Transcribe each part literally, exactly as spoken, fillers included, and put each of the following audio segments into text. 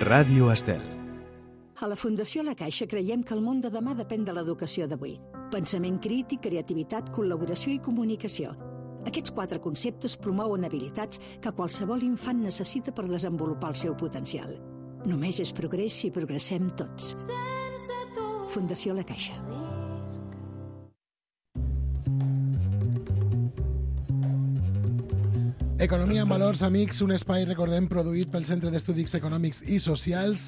Ràdio Estel. A la Fundació La Caixa creiem que el món de demà depèn de l'educació d'avui. Pensament crític, creativitat, col·laboració i comunicació. Aquests quatre conceptes promouen habilitats que qualsevol infant necessita per desenvolupar el seu potencial. Només és progrés si progressem tots. Fundació La Caixa. Economia en valors, amics, un espai, recordem, produït pel Centre d'Estudis Econòmics i Socials.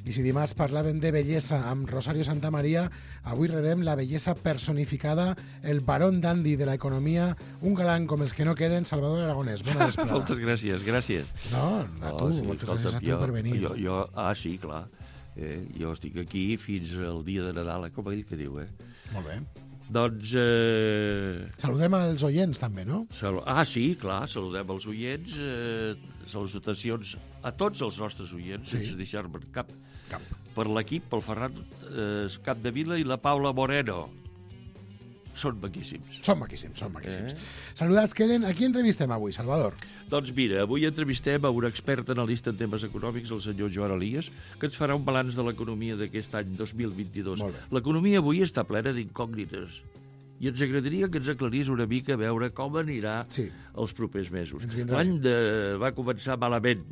I si dimarts parlàvem de bellesa amb Rosario Santamaría, avui rebem la bellesa personificada, el barón dandy de l'economia, un galant com els que no queden, Salvador Aragonès. Bona vesprada. Moltes gràcies, gràcies. No, a tu, oh, sí, moltes gràcies a tu jo, per venir. Jo, jo, ah, sí, clar. Eh, jo estic aquí fins al dia de Nadal, com ell que diu, eh? Molt bé. Doncs... Eh... Saludem als oients, també, no? Sal... Ah, sí, clar, saludem els oients. Eh, salutacions a tots els nostres oients, sí. Sense deixar-me cap. Cap. Per l'equip, pel Ferran eh, Capdevila i la Paula Moreno. Són maquíssims. Són maquíssims, són maquíssims. Eh? Saludats queden. A qui entrevistem avui, Salvador? Doncs mira, avui entrevistem a un expert analista en temes econòmics, el senyor Joan Elias, que ens farà un balanç de l'economia d'aquest any dos mil vint-i-dos. L'economia avui està plena d'incògnites i ens agradaria que ens aclarís una mica a veure com anirà sí. els propers mesos. L'any de... va començar malament.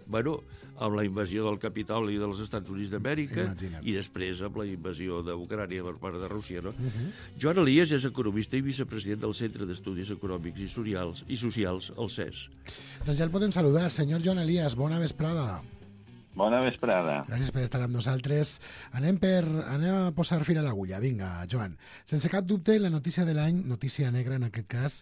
Bueno, amb la invasió del Capitoli dels Estats Units d'Amèrica i després amb la invasió d'Ucrània per part de Rússia, no? Uh-huh. Joan Elias és economista i vicepresident del Centre d'Estudis Econòmics i Socials, i Socials, el C E S. Doncs ja el podem saludar. Senyor Joan Elias, bona vesprada. Bona vesprada. Gràcies per estar amb nosaltres. Anem, per, anem a posar fil a l'agulla. Vinga, Joan. Sense cap dubte, la notícia de l'any, notícia negra en aquest cas,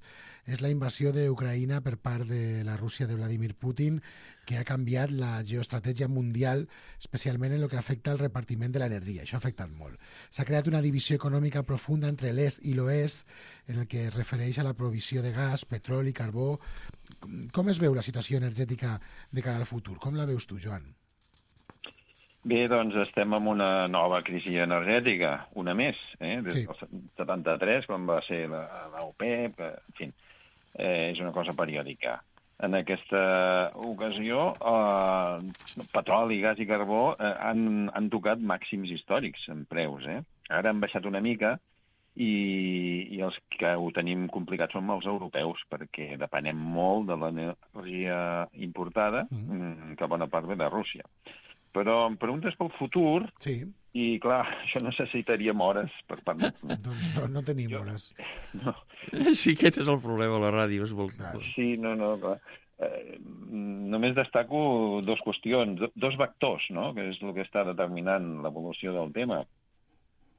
és la invasió d'Ucraïna per part de la Rússia de Vladimir Putin, que ha canviat la geoestratègia mundial, especialment en el que afecta al repartiment de l'energia. Això ha afectat molt. S'ha creat una divisió econòmica profunda entre l'est i l'oest, en el que es refereix a la provisió de gas, petroli, carbó. Com es veu la situació energètica de cara al futur? Com la veus tu, Joan? Bé, doncs estem en una nova crisi energètica, una més, eh? Des sí. del setanta-tres, quan va ser l'OPEP, en fi, eh, és una cosa periòdica. En aquesta ocasió, eh, petroli, gas i carbó eh, han, han tocat màxims històrics en preus. Eh? Ara han baixat una mica i, i els que ho tenim complicat són els europeus, perquè depenem molt de l'energia importada, mm. que bona part ve de Rússia. Però em preguntes pel futur, sí. I clar, això necessitaríem hores per parlar. Doncs no, no tenim jo, hores. No. Sí, aquest és el problema a la ràdio, és molt clar. Sí, no, no, clar. Eh, només destaco dues qüestions, dos vectors, no?, que és el que està determinant l'evolució del tema.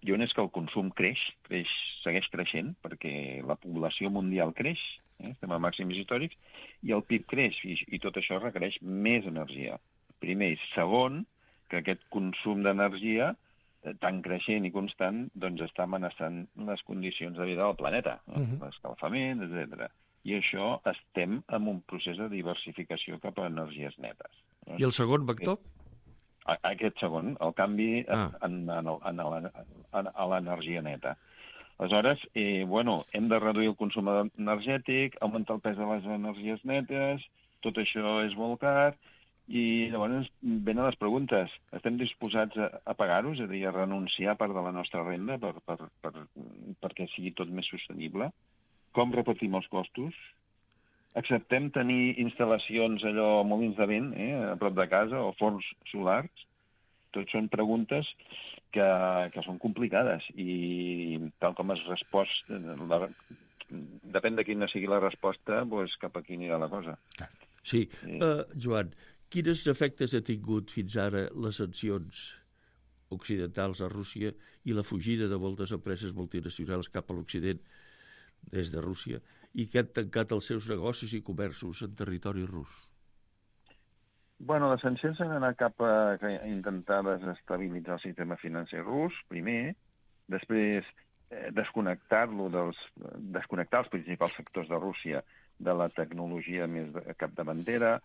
I un és que el consum creix, creix, segueix creixent, perquè la població mundial creix, eh? Estem a màxims històrics, i el P I B creix, i, i tot això requereix més energia. Primer. I segon, que aquest consum d'energia, eh, tan creixent i constant, doncs està amenaçant les condicions de vida del planeta, no? Uh-huh. L'escalfament, etcètera. I això estem en un procés de diversificació cap a energies netes. No? I el segon vector? Aquest, aquest segon, el canvi ah. en, en, en, en, a l'energia neta. Aleshores, eh, bueno, hem de reduir el consum energètic, augmentar el pes de les energies netes, tot això és molt car. I llavors venen les preguntes. Estem disposats a, a pagar-ho, és a dir, a renunciar part de la nostra renda per, per, per, perquè sigui tot més sostenible? Com repartim els costos? Acceptem tenir instal·lacions, allò, molins de vent, eh, a prop de casa, o forns solars? Tot són preguntes que, que són complicades i tal com es respost, la, depèn de quina sigui la resposta, doncs cap aquí anirà la cosa. Sí, uh, Joan, quins efectes ha tingut fins ara les sancions occidentals a Rússia i la fugida de moltes empreses multinacionals cap a l'Occident des de Rússia i que han tancat els seus negocis i comerços en territori rus? Bueno, les sancions han anat cap a intentar desestabilitzar el sistema financer rus, primer, després eh, desconnectar-lo dels, desconnectar els principals sectors de Rússia de la tecnologia més capdavantera.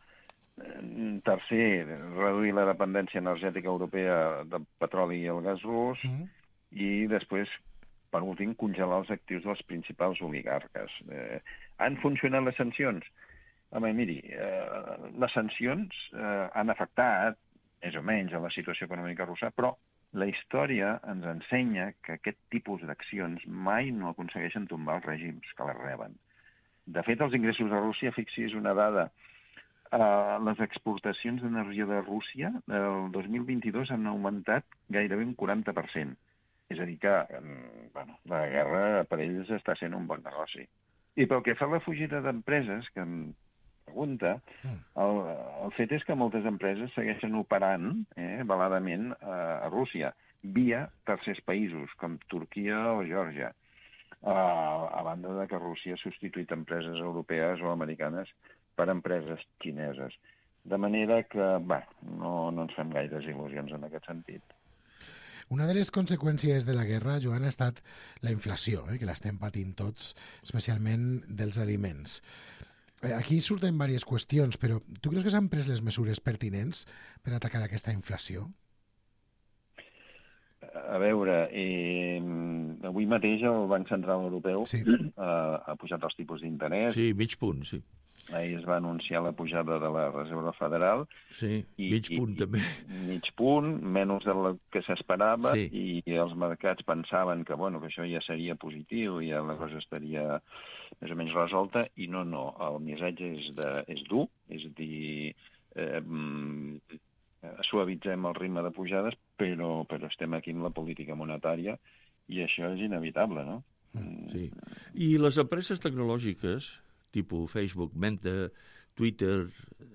Tercer, reduir la dependència energètica europea del petroli i el gas rus. Mm. I després, per últim, congelar els actius dels principals oligarques. Eh, han funcionat les sancions? Home, miri, eh, les sancions eh, han afectat, més o menys a la situació econòmica russa, però la història ens ensenya que aquest tipus d'accions mai no aconsegueixen tombar els règims que les reben. De fet, els ingressos de Rússia, fixi's una dada, eh, les exportacions d'energia de Rússia el dos mil vint-i-dos han augmentat gairebé un quaranta per cent. És a dir que bueno, la guerra per ells està sent un bon negoci. I pel que fa a la fugida d'empreses, que em pregunta, el, el fet és que moltes empreses segueixen operant eh, veladament a, a Rússia, via tercers països, com Turquia o Geòrgia, a, a banda de que Rússia ha substituït empreses europees o americanes per empreses xineses. De manera que, bé, no, no ens fem gaires il·lusions en aquest sentit. Una de les conseqüències de la guerra, Joan, ha estat la inflació, eh, que l'estem patint tots, especialment dels aliments. Aquí surten diverses qüestions, però tu creus que s'han pres les mesures pertinents per atacar aquesta inflació? A veure, eh, avui mateix el Banc Central Europeu sí. ha, ha pujat els tipus d'interès. Sí, mig punt, sí. Ahir es va anunciar la pujada de la Reserva Federal. Sí, i, mig punt i, també. Mig punt, menys del que s'esperava, sí. I els mercats pensaven que, bueno, que això ja seria positiu, ja la cosa estaria més o menys resolta, i no, no, el missatge és, de, és dur, és a dir, eh, suavitzem el ritme de pujades, però, però estem aquí amb la política monetària, i això és inevitable, no? Sí. I les empreses tecnològiques, tipus Facebook, Meta, Twitter,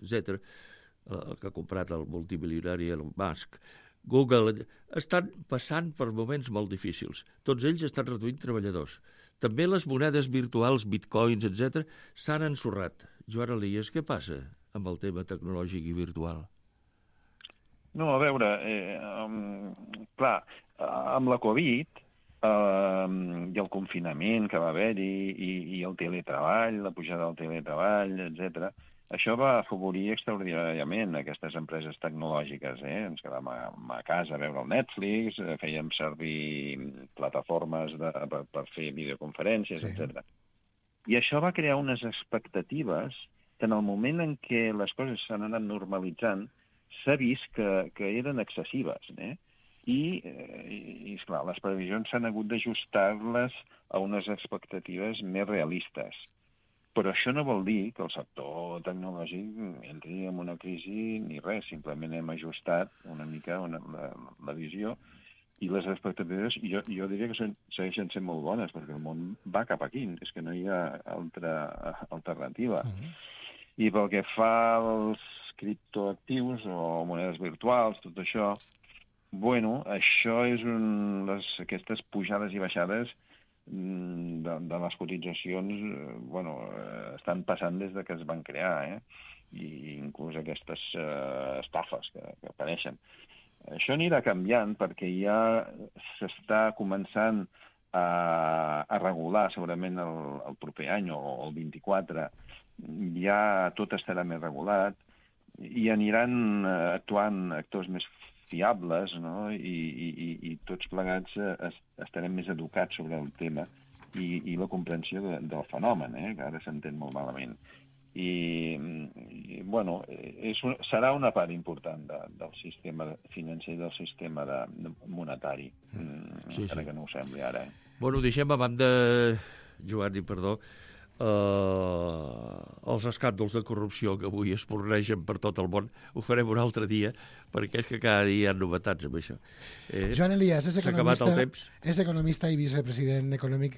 etcètera, eh, que ha comprat el multimilionari Elon Musk, Google, estan passant per moments molt difícils. Tots ells estan reduint treballadors. També les monedes virtuals, bitcoins, etcètera, s'han ensorrat. Joan Elias, què passa amb el tema tecnològic i virtual? No, a veure, eh, um, clar, amb la Covid Uh, i el confinament que va haver-hi i, i el teletreball, la pujada del teletreball, etcètera, això va afavorir extraordinàriament aquestes empreses tecnològiques. Eh? Ens quedàvem a, a casa a veure el Netflix, fèiem servir plataformes de, per, per fer videoconferències, sí. etcètera. I això va crear unes expectatives que en el moment en què les coses s'han anat normalitzant s'ha vist que, que eren excessives, eh? I, i, i esclar, les previsions s'han hagut d'ajustar-les a unes expectatives més realistes. Però això no vol dir que el sector tecnològic entri en una crisi ni res, simplement hem ajustat una mica una, la, la visió i les expectatives, jo, jo diria que són, segueixen sent molt bones, perquè el món va cap aquí, és que no hi ha altra alternativa. Uh-huh. I pel que fa als criptoactius o monedes virtuals, tot això, bueno, això és un... Les, aquestes pujades i baixades de, de les cotitzacions, bueno, estan passant des de que es van crear, eh? I inclús aquestes uh, estafes que, que apareixen. Això anirà canviant perquè ja s'està començant a, a regular segurament el, el proper any o el vint-i-quatre. Ja tot estarà més regulat i aniran actuant actors més fiables, no? I, i, i tots plegats es, estarem més educats sobre el tema i, i la comprensió de, del fenomen, eh? Que ara s'entén molt malament. I, i bueno, és un, serà una part important de, del sistema financer i del sistema de, de monetari, mm, sí, encara sí. Que no ho sembli ara. Eh? Bueno, deixem a banda, Joan, i perdó, Uh, els escàndols de corrupció que avui es pornegen per tot el món. Ho farem un altre dia, perquè és que cada dia hi ha novetats amb això. Eh, Joan Elias és economista, és economista i vicepresident econòmic,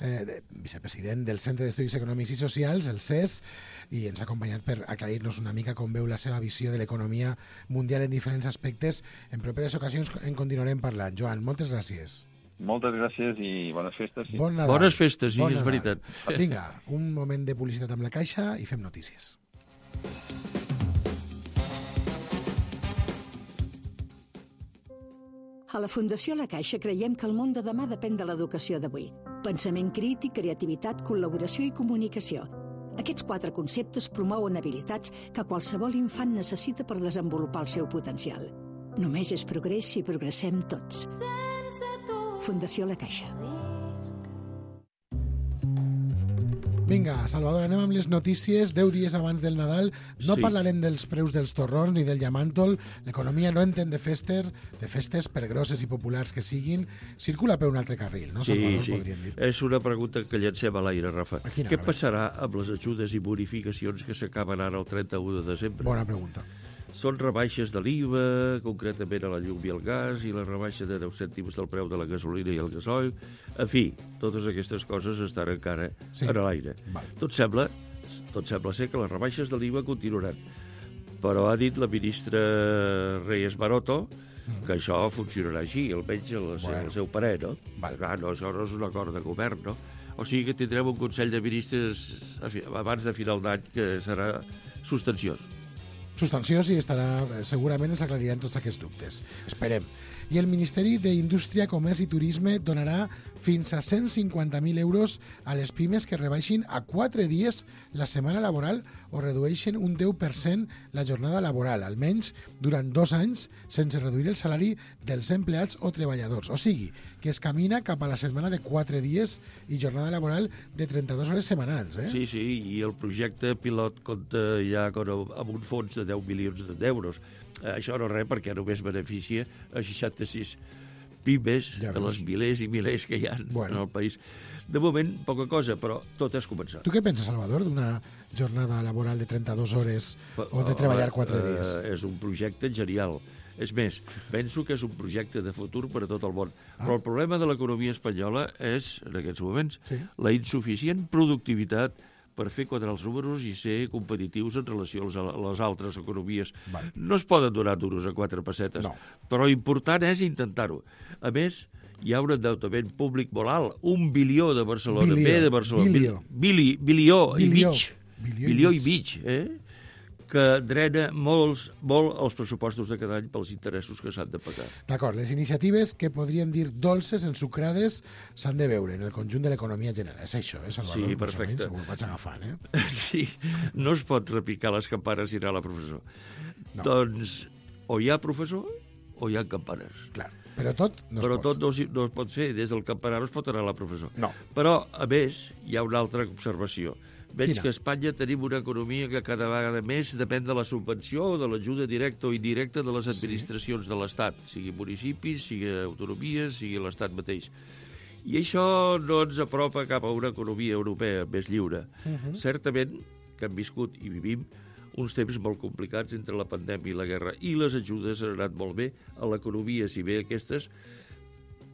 eh, vicepresident del Centre d'Estudis Econòmics i Socials, el C E S, i ens ha acompanyat per aclarir-nos una mica com veu la seva visió de l'economia mundial en diferents aspectes. En properes ocasions en continuarem parlant. Joan, moltes gràcies. Moltes gràcies i bones festes. Sí. Bon Nadal. Bones festes, sí, bon és Nadal. veritat. Vinga, un moment de publicitat amb la Caixa i fem notícies. A la Fundació La Caixa creiem que el món de demà depèn de l'educació d'avui. Pensament crític, creativitat, col·laboració i comunicació. Aquests quatre conceptes promouen habilitats que qualsevol infant necessita per desenvolupar el seu potencial. Només és progrés si progressem tots. Fundació La Caixa. Vinga, Salvador, anem amb les notícies. Deu dies abans del Nadal. No Sí. parlarem dels preus dels torrons ni del llamàntol. L'economia no entén de festes, de festes, per grosses i populars que siguin. Circula per un altre carril, no, Sí, Salvador, sí. podríem dir? És una pregunta que llancem a l'aire, Rafa. A quina Què hora? passarà amb les ajudes i bonificacions que s'acaben ara el trenta-u de desembre? Bona pregunta. Són rebaixes de l'I V A, concretament a la llum i el gas, i la rebaixa de deu cèntims del preu de la gasolina i el gasoil. En fi, totes aquestes coses estan encara Sí. a l'aire. Val. Tot sembla, tot sembla ser que les rebaixes de l'I V A continuaran. Però ha dit la ministra Reyes Maroto que això funcionarà així, almenys el, Bueno. bueno. el seu parer, no? Val. Clar, no, això no és un acord de govern, no? O sigui que tindrem un Consell de Ministres a fi- abans de final d'any que serà substanciós. Substanciós i estarà, segurament ens aclariran tots aquests dubtes. Esperem. I el Ministeri d'Indústria, Comerç i Turisme donarà fins a cent cinquanta mil euros a les pimes que rebaixin a quatre dies la setmana laboral o redueixen un deu per cent la jornada laboral, almenys durant dos anys, sense reduir el salari dels empleats o treballadors. O sigui, que es camina cap a la setmana de quatre dies i jornada laboral de trenta-dues hores setmanals. Eh? Sí, sí, i el projecte pilot compta ja con- amb un fons de deu milions d'euros. Eh, Això no res, perquè només beneficia a seixanta-sis pimes Ja de veus. les milers i milers que hi ha Bueno. en el país. De moment, poca cosa, però tot és començar. Tu què penses, Salvador, d'una jornada laboral de trenta-dues hores o de treballar quatre Eh, dies? És un projecte genial. És més, penso que és un projecte de futur per a tot el món. Però el problema de l'economia espanyola és, en aquests moments, Sí. la insuficient productivitat per fer quadrar els números i ser competitius en relació als- a les altres economies. Val. No es poden donar duros a quatre pessetes, No. però important és intentar-ho. A més, hi ha un endeutament públic molt alt, un bilió de Barcelona, Bilió, B de Barcelona, bilió. Bili, bilió, i Bilió, mig, bilió i bilió i mig. mig, eh? que drena molts, molt els pressupostos de cada any pels interessos que s'han de pagar. D'acord, les iniciatives que podríem dir dolces, ensucrades, s'han de veure en el conjunt de l'economia general. És això, eh, Salvador? Sí, Més o perfecte. menys, ho vaig agafant, eh? Sí, no es pot repicar les campanes i anar a la professor. No. Doncs o hi ha professor o hi ha campanes. Clar, però tot no es Però pot. tot no, es- no es pot fer. Des del campanar no es pot anar a la professor. No. Però, a més, hi ha una altra observació. Veig Quina? que a Espanya tenim una economia que cada vegada més depèn de la subvenció o de l'ajuda directa o indirecta de les administracions de l'Estat, sigui municipis, sigui autonomies, sigui l'Estat mateix. I això no ens apropa cap a una economia europea més lliure. Mhm. Certament que hem viscut i vivim uns temps molt complicats entre la pandèmia i la guerra, i les ajudes han anat molt bé a l'economia, si bé aquestes,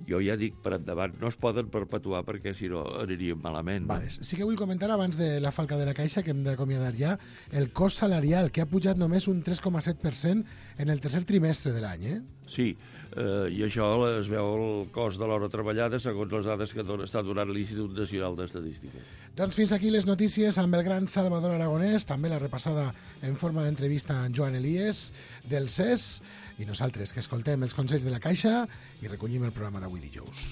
jo ja dic per endavant, no es poden perpetuar perquè si no aniríem malament. no? Vale. Sí que vull comentar, abans de la falca de la caixa, que hem d'acomiadar ja, el cost salarial, que ha pujat només un tres coma set per cent en el tercer trimestre de l'any, eh? Sí, eh, i això es veu el cost de l'hora treballada segons les dades que dona, està donant l'Institut Nacional d'Estadística. Doncs fins aquí les notícies amb el gran Salvador Aragonès, també la repassada en forma d'entrevista amb Joan Elies del C E S, i nosaltres que escoltem els consells de la Caixa i recollim el programa d'avui dijous.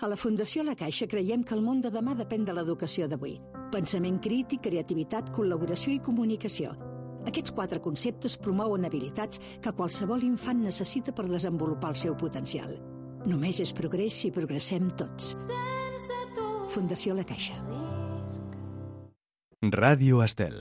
A la Fundació La Caixa creiem que el món de demà depèn de l'educació d'avui. Pensament crític, creativitat, col·laboració i comunicació. Aquests quatre conceptes promouen habilitats que qualsevol infant necessita per desenvolupar el seu potencial. Només és progrés si progressem tots. Fundació La Caixa. Radio Estel.